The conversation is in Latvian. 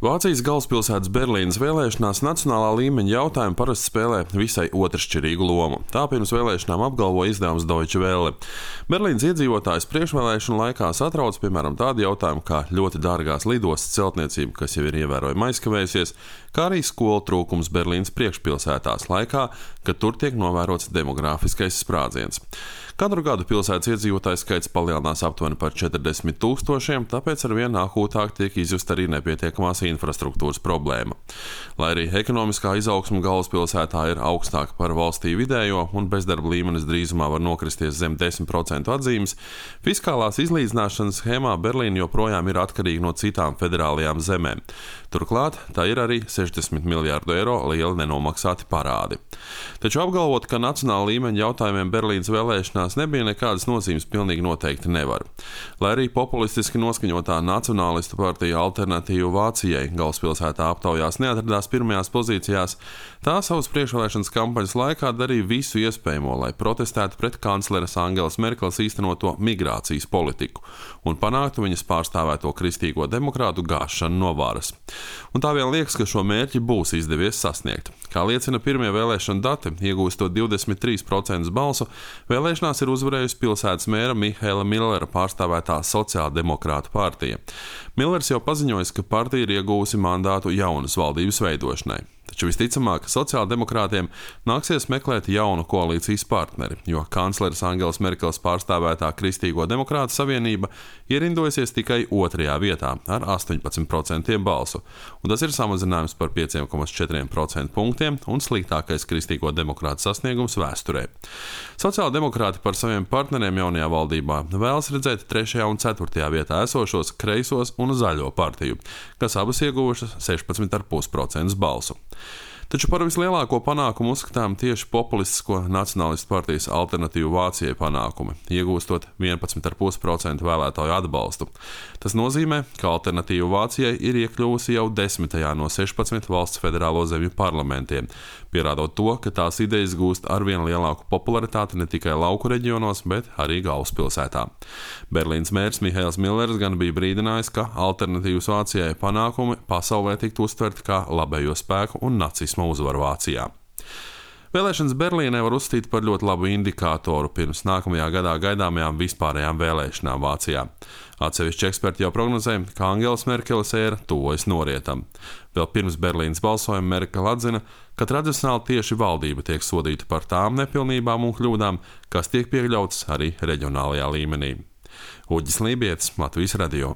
Vācijas galvaspilsētas Berlīnes vēlēšanās nacionālā līmeņa jautājumi parasti spēlē visai otršķirīgu lomu. Tā pirms vēlēšanām apgalvo izdevums Deutsche Welle. Berlīnes iedzīvotājus priekšvēlēšanu laikā satrauc piemēram tādi jautājumi kā ļoti dārgās lidostas celtniecība, kas jau ir ievērojami aizkavējusies, kā arī skolu trūkums Berlīnes priekšpilsētās laikā, kad tur tiek novērots demogrāfiskais sprādziens. Katru gadu pilsētas iedzīvotāju skaits palielinās aptuveni par 40 000, tāpēc arvien akūtāk tiek izjusta arī nepietiekamās infrastruktūras problēma. Lai arī ekonomiskā izaugsme galvaspilsētā ir augstāka par valstī vidējo un bezdarba līmenis drīzumā var nokristies zem 10% atzīmes, fiskālās izlīdzināšanas schēmā Berlīna joprojām ir atkarīga no citām federālajām zemēm. Turklāt tā ir arī 60 miljārdu eiro lieli nenomaksāti parādi. Taču apgalvot, ka nacionāla līmeņa jautājumiem Berlīnes vēlēšanās nebija nekādas nozīmes, pilnīgi noteikti nevar. Lai arī populistiski noskaņotā nacionālistu partija Alternatīva Vācijai galvaspilsētā aptaujās neatradās pirmajās pozīcijās, tā savas priekšvēlēšanas kampaņas laikā darīja visu iespējamo, lai protestētu pret kancleres Angelas Merkeles īstenoto migrācijas politiku un panāktu viņas pārstāvēto kristīgo demokrātu gāšanu no varas. Un tā vien liekas, ka šo mērķi būs izdevies sasniegt. Kā liecina pirmie vēlēšana dati, iegūstot 23% balsu, vēlēšanās ir uzvarējusi pilsētas mēra Mihaela Millera pārstāvētā sociāldemokrātu partija. Millers jau paziņojis, ka partija ir iegūsi mandātu jaunas valdības veidošanai. Taču visticamāk, sociāldemokrātiem nāksies meklēt jaunu koalīcijas partneri, jo kancleres Angelas Merkeles pārstāvētā Kristīgo demokrātu savienība ierindojasies tikai 2. vietā ar 18% balsu, un tas ir samazinājums par 5,4% punktiem un sliktākais Kristīgo demokrātu sasniegums vēsturē. Sociāldemokrāti par saviem partneriem jaunajā valdībā vēlas redzēt 3. un 4. vietā esošos kreisos un zaļo partiju, kas abas ieguvušas 16,5% balsu. Taču par vislielāko panākumu uzskatām tieši populistisko nacionālistu partijas Alternatīva Vācijai panākumi, iegūstot 11,5% vēlētāju atbalstu. Tas nozīmē, ka Alternatīva Vācijai ir iekļuvusi jau 10. no 16 valsts federālo zemju parlamentiem, pierādot to, ka tās idejas gūst arvien lielāku popularitāti ne tikai lauku reģionos, bet arī galvaspilsētā. Berlīnes mērs Mihaels Millers gan bija brīdinājis, ka Alternatīvas Vācijai panākumi pasaulē tiktu uztverti kā labējo spēku un nacisma uzvaru Vācijā. Vēlēšanas Berlīnē var uzskatīt par ļoti labu indikātoru pirms nākamajā gadā gaidāmajām vispārējām vēlēšanām Vācijā. Atsevišķi eksperti jau prognozē, ka Angelas Merkeles ēra tuvojas norietam. Vēl pirms Berlīnes balsojuma Merkele atzina, ka tradicionāli tieši valdība tiek sodīta par tām nepilnībām un kļūdām, kas tiek pieļautas arī reģionālajā līmenī. Uģis Lībietis, Latvijas radio.